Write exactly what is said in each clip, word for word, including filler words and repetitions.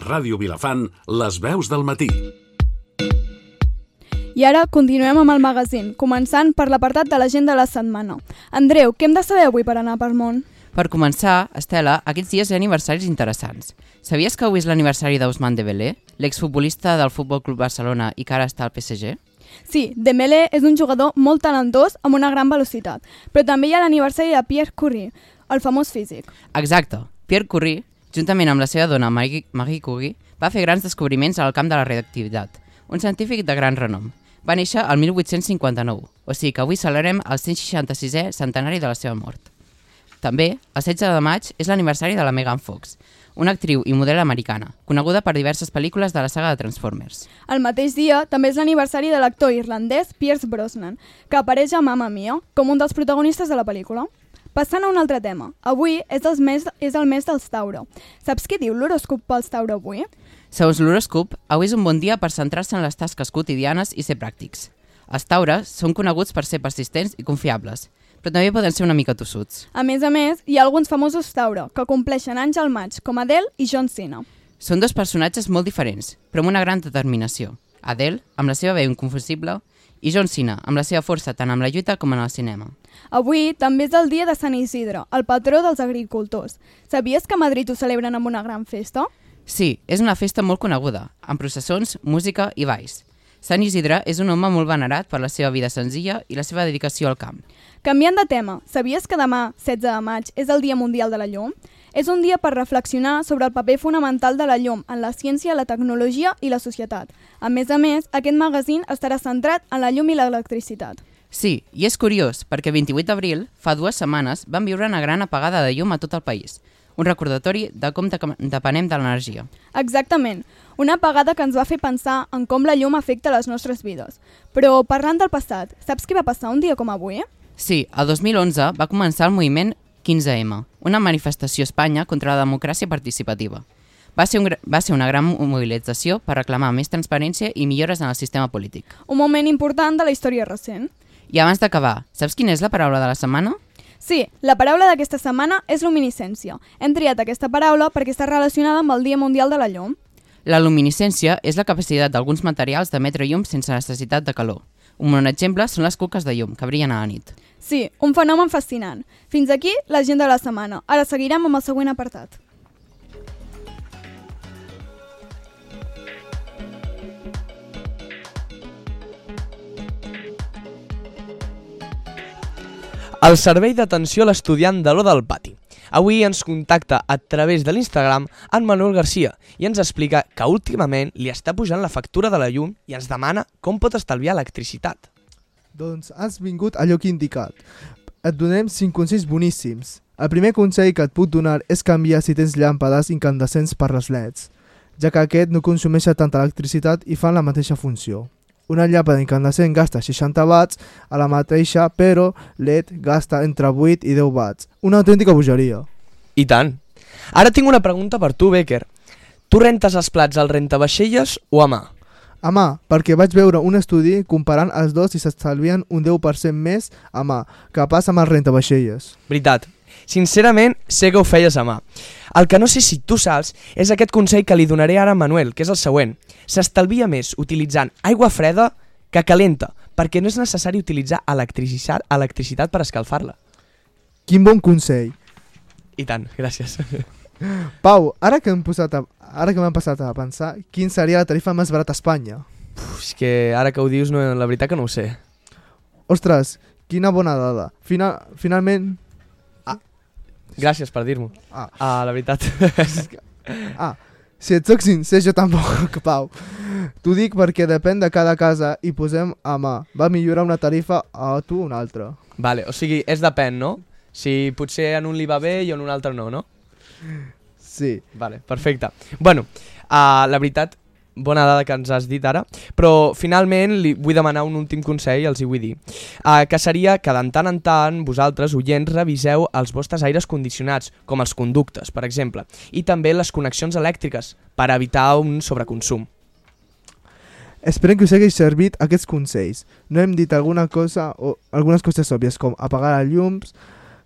Ràdio Vilafant, les veus del matí. I ara continuem amb el magazín, començant per l'apartat de l'agenda de la setmana. Andreu, què hem de saber avui per anar per món? Per començar, Estela, aquests dies hi ha aniversaris interessants. Sabies que avui és l'aniversari d'Ousmane Dembélé, l'exfutbolista del Futbol Club Barcelona i que ara està al P S G? Sí, Dembélé és un jugador molt talentós amb una gran velocitat, però també hi ha l'aniversari de Pierre Curie, el famós físic. Exacte. Pierre Curie, juntament amb la seva dona Marie, Marie Curie, va fer grans descobriments al camp de la radioactivitat, un científic de gran renom. Va néixer el mil vuit-cents cinquanta-nou, o sigui que avui celebrem el cent seixanta-sisè centenari de la seva mort. També, el setze de maig, és l'aniversari de la Megan Fox, una actriu i model americana, coneguda per diverses pel·lícules de la saga de Transformers. El mateix dia també és l'aniversari de l'actor irlandès Pierce Brosnan, que apareix a Mamma Mia com un dels protagonistes de la pel·lícula. Passant a un altre tema, avui és el mes, és el mes dels Tauro. Saps què diu l'horòscop pels Tauro avui? Segons l'horòscop, avui és un bon dia per centrar-se en les tasques quotidianes i ser pràctics. Els taures són coneguts per ser persistents i confiables, però també poden ser una mica tossuts. A més a més, hi ha alguns famosos Tauro que compleixen anys al maig, com Adele i John Cena. Són dos personatges molt diferents, però amb una gran determinació. Adele, amb la seva veu inconfusible, i John Cena, amb la seva força tant amb la lluita com en el cinema. Avui també és el dia de Sant Isidre, el patró dels agricultors. Sabies que a Madrid ho celebren amb una gran festa? Sí, és una festa molt coneguda, amb processons, música i balls. Sant Isidre és un home molt venerat per la seva vida senzilla i la seva dedicació al camp. Canviant de tema, sabies que demà, setze de maig, és el Dia Mundial de la Llum? És un dia per reflexionar sobre el paper fonamental de la llum en la ciència, la tecnologia i la societat. A més a més, aquest magazín estarà centrat en la llum i l'electricitat. Sí, i és curiós, perquè el vint-i-vuit d'abril, fa dues setmanes, vam viure una gran apagada de llum a tot el país. Un recordatori de com depenem de l'energia. Exactament, una apagada que ens va fer pensar en com la llum afecta les nostres vides. Però parlant del passat, saps què va passar un dia com avui? Sí, el dos mil onze va començar el moviment quinze eme, una manifestació a Espanya contra la democràcia participativa. Va ser, un, va ser una gran mobilització per reclamar més transparència i millores en el sistema polític. Un moment important de la història recent. I abans d'acabar, saps quina és la paraula de la setmana? Sí, la paraula d'aquesta setmana és luminiscència. Hem triat aquesta paraula perquè està relacionada amb el Dia Mundial de la Llum. La luminiscència és la capacitat d'alguns materials d'emetre llum sense necessitat de calor. Un bon exemple són les cuques de llum, que brillen a la nit. Sí, un fenomen fascinant. Fins aquí l'agenda de la setmana. Ara seguirem amb el següent apartat. El servei d'atenció a l'estudiant de l'O del Pati. Avui ens contacta a través de l'Instagram en Manuel Garcia i ens explica que últimament li està pujant la factura de la llum i ens demana com pot estalviar electricitat. Doncs has vingut a lloc indicat. Et donem cinc consells boníssims. El primer consell que et puc donar és canviar si tens llàmpades incandescents per les L E Ds, ja que aquest no consumeix tanta electricitat i fan la mateixa funció. Una llàmpada incandescent gasta seixanta watts a la mateixa, però L E D gasta entre vuit i deu watts. Una autèntica bogeria. I tant. Ara tinc una pregunta per tu, Becker. Tu rentes els plats al rentavaixelles o a mà? A mà, perquè vaig veure un estudi comparant els dos i s'estalvien un deu per cent més a mà que passa amb els rentavaixelles. Veritat. Sincerament, sé que ho feies a mà. El que no sé si tu saps és aquest consell que li donaré ara a Manuel, que és el següent. S'estalvia més utilitzant aigua freda que calenta, perquè no és necessari utilitzar electricitat, electricitat per escalfar-la. Quin bon consell. I tant, gràcies. Pau, ara que hem posat a, ara que m'han passat a pensar, quin seria la tarifa més barata a Espanya? Uf, és que ara que ho dius, no, la veritat que no ho sé. Ostres, quina bona dada. Final, finalment... Gràcies per dir-m'ho. Ah. ah, la veritat. ah, si et soc sincer, jo tampoc, Pau. T'ho dic perquè depèn de cada casa i posem a mà. Va millorar una tarifa a tu una altra. Vale, o sigui, és depèn, no? Si potser en un li va bé i en un altre no, no? Sí. Vale, perfecte. Bueno, uh, la veritat, bona dada que ens has dit ara, però finalment li vull demanar un últim consell, els hi vull dir, uh, que seria que de tant en tant vosaltres, oients, reviseu els vostres aires condicionats, com els conductes, per exemple, i també les connexions elèctriques, per evitar un sobreconsum. Esperem que us hagi servit aquests consells. No hem dit alguna cosa o algunes coses òbvies, com apagar els llums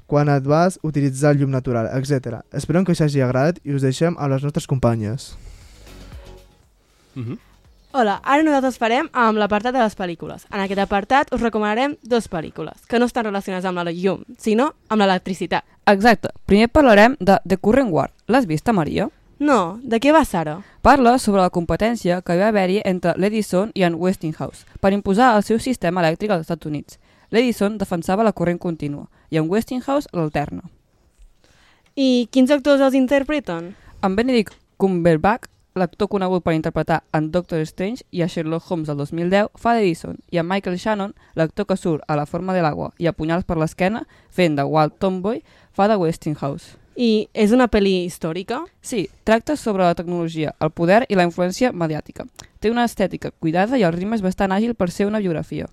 quan et vas, utilitzar llum natural, etcètera. Esperem que us hagi agradat i us deixem amb les nostres companyes. Mhm. Hola, ara nosaltres farem amb l'apartat de les pel·lícules. En aquest apartat us recomanarem dues pel·lícules, que no estan relacionades amb la llum, sinó amb l'electricitat. Exacte. Primer parlarem de The Current War. L'has vista, Maria? No, de què va, Sara? Parla sobre la competència que va haver-hi entre l'Edison i en Westinghouse per imposar el seu sistema elèctric als Estats Units. L'Edison defensava la corrent contínua i en Westinghouse l'alterna. I quins actors els interpreten? En Benedict Cumberbatch, l'actor conegut per interpretar en Doctor Strange i a Sherlock Holmes del dos mil deu, fa d'Edison, i en Michael Shannon, l'actor que surt a La forma de l'aigua i a punyals per l'esquena, fent de Walt Tomboy, fa de Westinghouse. I és una pel·li històrica? Sí, tracta sobre la tecnologia, el poder i la influència mediàtica. Té una estètica cuidada i el ritme és bastant àgil per ser una biografia.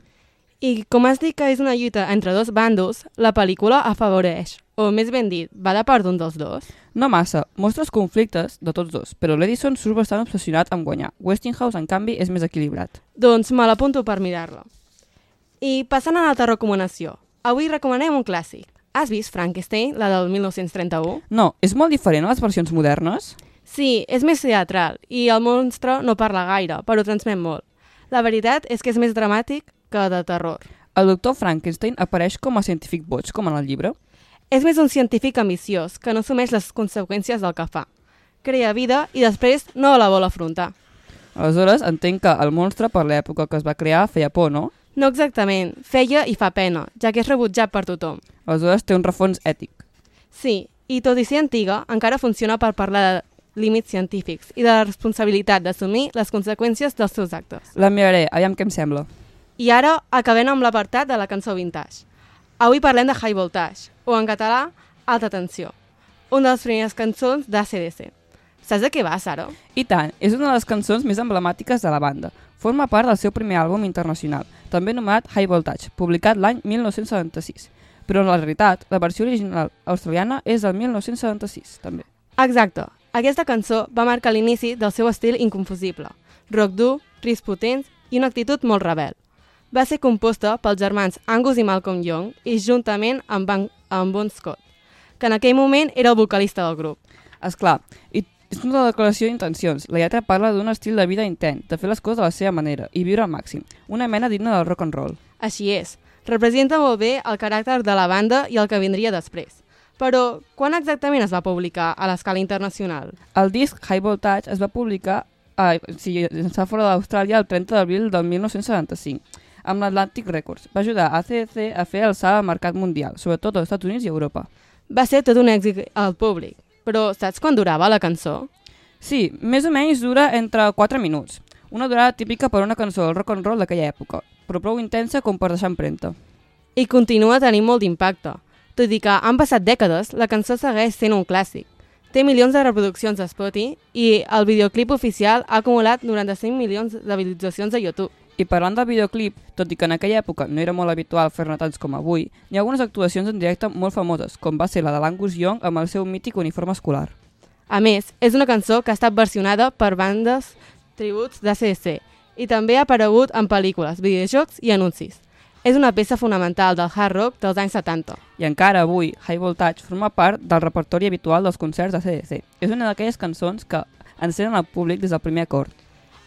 I com has dit que és una lluita entre dos bandos, la pel·lícula afavoreix, o més ben dit, va de part d'un dels dos? No massa, mostra els conflictes de tots dos, però l'Edison surt bastant obsessionat amb guanyar. Westinghouse, en canvi, és més equilibrat. Doncs me l'apunto per mirar-la. I passant a l'altra recomanació, avui recomanem un clàssic. Has vist Frankenstein, la del mil nou-cents trenta-u? No, és molt diferent a les versions modernes? Sí, és més teatral i el monstre no parla gaire, però transmet molt. La veritat és que és més dramàtic que de terror. El doctor Frankenstein apareix com a científic boig, com en el llibre? És més un científic ambiciós que no assumeix les conseqüències del que fa. Crea vida i després no la vol afrontar. Aleshores, entenc que el monstre, per l'època que es va crear, feia por, no? No exactament, feia i fa pena, ja que és rebutjat per tothom. Aleshores té un refons ètic. Sí, i tot i ser antiga, encara funciona per parlar de límits científics i de la responsabilitat d'assumir les conseqüències dels seus actes. La miraré, aviam què em sembla. I ara acabem amb l'apartat de la cançó vintage. Avui parlem de High Voltage, o en català, Alta Tensió, una de les primeres cançons d'A C D C. Saps de què va, Sara? I tant, és una de les cançons més emblemàtiques de la banda. Forma part del seu primer àlbum internacional, també anomenat High Voltage, publicat l'any mil nou-cents setanta-sis. Però en la realitat, la versió original australiana és del mil nou-cents setanta-sis, també. Exacte. Aquesta cançó va marcar l'inici del seu estil inconfusible. Rock dur, riffs potents i una actitud molt rebel. Va ser composta pels germans Angus i Malcolm Young i juntament amb, Ban amb Bon Scott, que en aquell moment era el vocalista del grup. Esclar, i és una declaració d'intencions. La lletra parla d'un estil de vida intent, de fer les coses a la seva manera i viure al màxim, una mena digna del rock and roll. Així és. Representa molt bé el caràcter de la banda i el que vindria després. Però, quan exactament es va publicar a l'escala internacional? El disc High Voltage es va publicar a, sí, està fora d'Austràlia el trenta d'abril del mil nou-cents setanta-cinc, amb l'Atlantic Records. Va ajudar a A C D C a fer el salt al mercat mundial, sobretot als Estats Units i Europa. Va ser tot un èxit al públic. Però saps quan durava la cançó? Sí, més o menys dura entre quatre minuts. Una durada típica per una cançó del rock and roll d'aquella època, però prou intensa com per deixar empremta. I continua tenint molt d'impacte. Tot i que han passat dècades, la cançó segueix sent un clàssic. Té milions de reproduccions a Spotify i el videoclip oficial ha acumulat noranta-cinc milions de visualitzacions a YouTube. I parlant del videoclip, tot i que en aquella època no era molt habitual fer-ne tants com avui, hi ha algunes actuacions en directe molt famoses, com va ser la de l'Angus Young amb el seu mític uniforme escolar. A més, és una cançó que ha estat versionada per bandes tributs d'A C D C i també ha aparegut en pel·lícules, videojocs i anuncis. És una peça fonamental del hard rock dels anys setanta. I encara avui, High Voltage forma part del repertori habitual dels concerts d'A C D C. És una d'aquelles cançons que encenen el públic des del primer acord.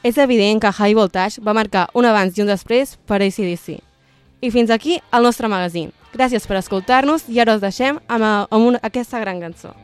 És evident que High Voltage va marcar un abans i un després per A C D C. I fins aquí el nostre magazín. Gràcies per escoltar-nos i ara us deixem amb, amb una, aquesta gran cançó.